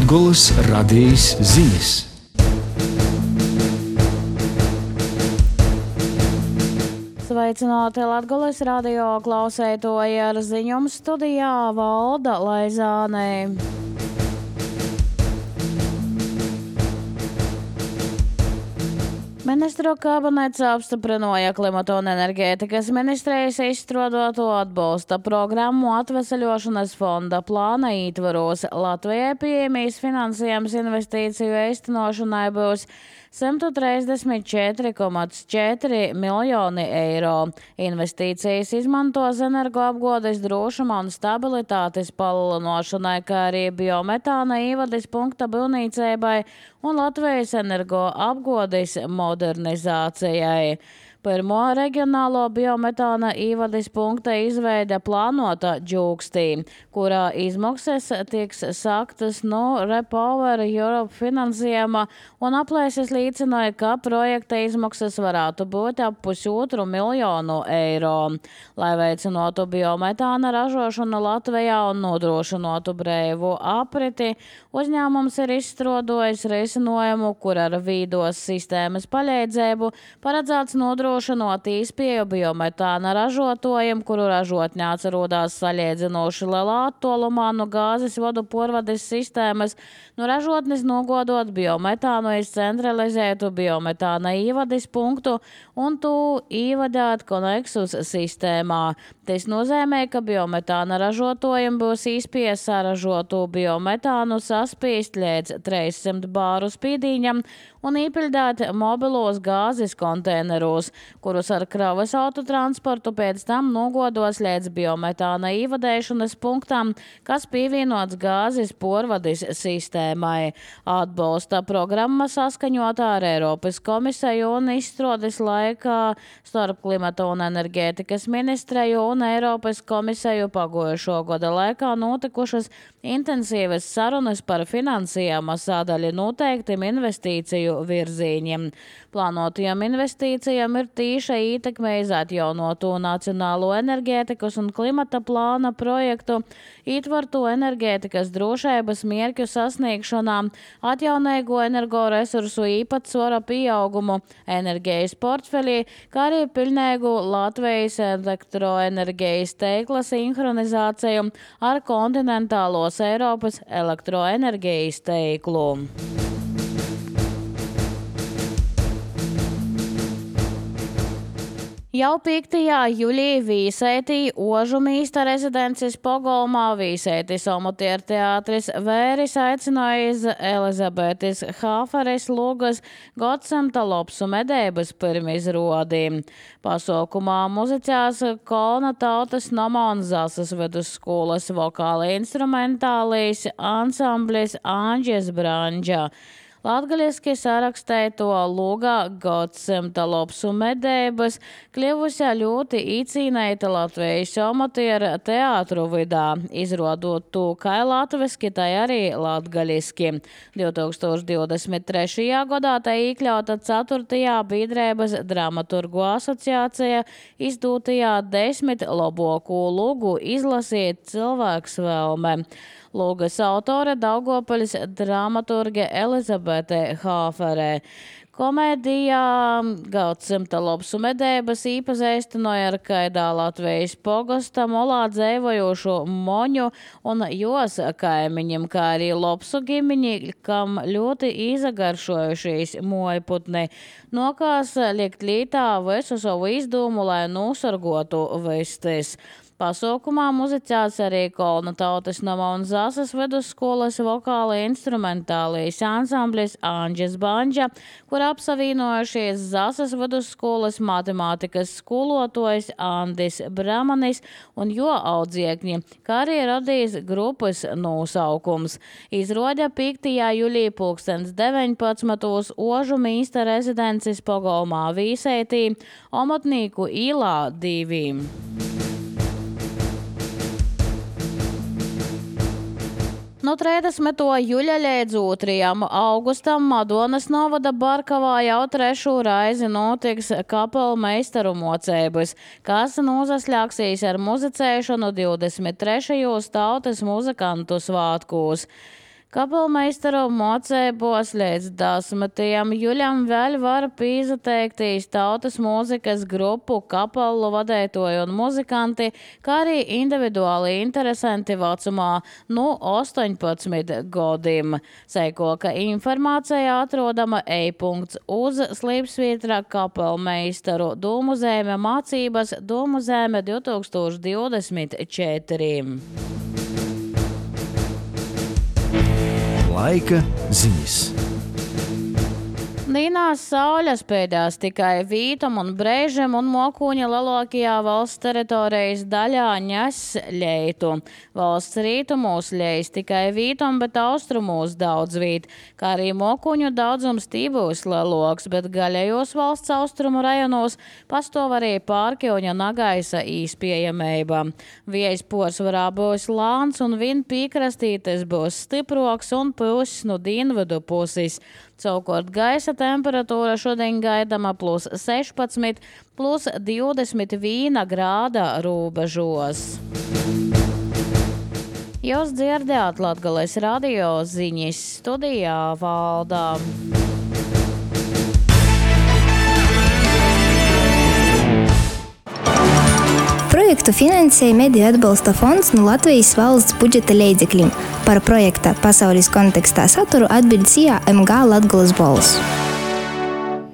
Latgolas radijas ziņas. Sveicināti Latgolas radio klausētoji, ar ziņumu studijā Valda Laizāne. Ministru kabinets apstiprināja klimata un enerģētikas ministrijas izstrādāto atbalsta programmu atveseļošanas fonda plāna ietvaros. Latvijai pieejamīs finansējums investīciju īstenošanai būs 134,4 miljoni eiro. Investīcijas izmantos energoapgādes drošuma un stabilitātes palielināšanai, kā arī biometāna ievades punkta būvniecībai un Latvijas energoapgādes modernizācijai. Pirmo reģionālo biometāna ievades punkta izveide plānota Džūkstī, kurā izmaksas tiks sāktas no Repower Europe finansējuma, un aplēses liecināja, ka projekta izmaksas varētu būt ap 1,5 miljonu eiro. Lai veicinātu biometāna ražošanu Latvijā un nodrošinātu brīvu apriti, uzņēmums ir izstrādājis risinājumu, kur ar vīdos sistēmas palīdzību paredzēts nodrošināt īspēju biometāna ražotājiem, kuru ražotņē atrodas salīdzinoši lielā attālumā no gāzes vadu porvades sistēmas, no ražotnes nogodot biometānu iz centralizētu biometāna ievades punktu un to ievadāt koneksus sistēmā. Tas nozīmē, ka biometāna ražotājiem būs īspēja saražotu biometānu saspīst līdz 300 bāru spīdīņam un īpildāt mobilos gāzes konteinerus, kurus ar kravas autotransportu pēc tam nogodos līdz biometāna ievadēšanas punktam, kas pievienots gāzes porvades sistēmai. Atbalsta programma saskaņotā ar Eiropas komisiju un izstrādes laikā starp klimata un enerģētikas ministreju un Eiropas komisiju pagājušo gada laikā notikušas intensīvas sarunas par finansējuma sadaļu noteiktim investīciju virzīņiem. Plānotajām investīcijām ir tīša ietekme uz atjaunotu nacionālo enerģētikas un klimata plāna projektu, ietverto enerģētikas drošības mērķu sasniegšanā, atjaunīgo energoresursu īpatsvara pieaugumu enerģijas portfelī, kā arī pilnīgu Latvijas elektroenerģijas tīkla sinhronizāciju ar kontinentālos Eiropas elektroenerģijas tīklu. Jau 5. jūlijā Vīsētī Ožu mīsta rezidences pogolmā Vīsētis Omutieru teātris Vēris aicināja iz Elizabetes Hāferes lūgas Godsemta Lopsu medēbas pirmizrodī. Pasaukumā muzicās Kolna tautas nama un Zasas vidusskolas vokāli instrumentālīs ansamblis Āņģes Branģa. Latgaliski sarakstēja to lūgā Godsemta Lopsu medēbas, kļuvusi ļoti īcīnēta Latvijas Omutiera teātru vidā, izrodot to kā latviski, tai arī latgaliski. 2023. gadā tai iekļauta 4. biedrības dramaturgu asociācija izdūtajā 10 labāko lūgu izlasīt cilvēks vēlme. Lūgas autore Daugopaļas dramaturge Elizabete Hāferē. Komēdijā Godsemta Lopsu medēbas īpazīstināja ar kaidā Latvijas pogasta molā dzēvojošo moņu un jos kaimiņiem, kā arī Lopsu gimiņi, kam ļoti izagaršojušies mojputni. Nokās liekt lītā visu savu izdomu, lai nosargotu vistis. Pasaukumā muzicēts arī Kolna tautas nama un Zasas vidusskolas vokāli instrumentālīs ansamblis Āņģes Branģa, kur apsavienojušies Zasas vidusskolas matemātikas skolotājs Andis Bramanis un jo audziekņi, kā arī radījis grupas nosaukums. Izroda 5. jūlijā 2019. Ožu mīsta rezidences pogolmā Vīsētī, Omotnīku īlā 2. No 30. jūļa līdz 2. augustam Madonas novada Barkavā jau 3. reizi notiks kapelmeistaru mocības, kas nozasļāksīs ar muzicēšanu 23. tautas muzikantu svātkos. Kapelmeistaru mocēbos līdz 10. jūļam vēl var pīzateiktīs tautas mūzikas grupu kapelu vadētoju un muzikanti, kā arī individuāli interesanti vecumā no 18 gadiem. Seikoka informācija atrodama e-punkts uz slīpsvītra kapelmeistaru Dūmu zeme mācības Dūmu zeme 2024. Laika ziņas. Nīnās sauļaspēdās tikai Vītam un Breižam un Mokuņa lielākajā valsts teritorijas daļā ņas ļeitu. Valsts rītumos ļeis tikai Vītam, bet austrumos daudz vīt, kā arī Mokuņu daudzums tībūs lielāks, bet gaļējos valsts austrumu rajonos pastāv arī Pārkiuņa Nagaisa īspējamība. Viejas porcelānā būs lāns un vien pīkrastītes būs stiproks un pūs no dienvidu puses. Savukārt gaisa temperatūra šodien gaidama +16, +21 grāda robežos. Jūs dzirdējāt Latgales radio ziņas, studijā Valdā. Projektu finansēja Mediju atbalsta fonds no Latvijas valsts budžeta līdzekļiem. Par projekta pasaules kontekstā saturu atbild SIA MG Latgales balss.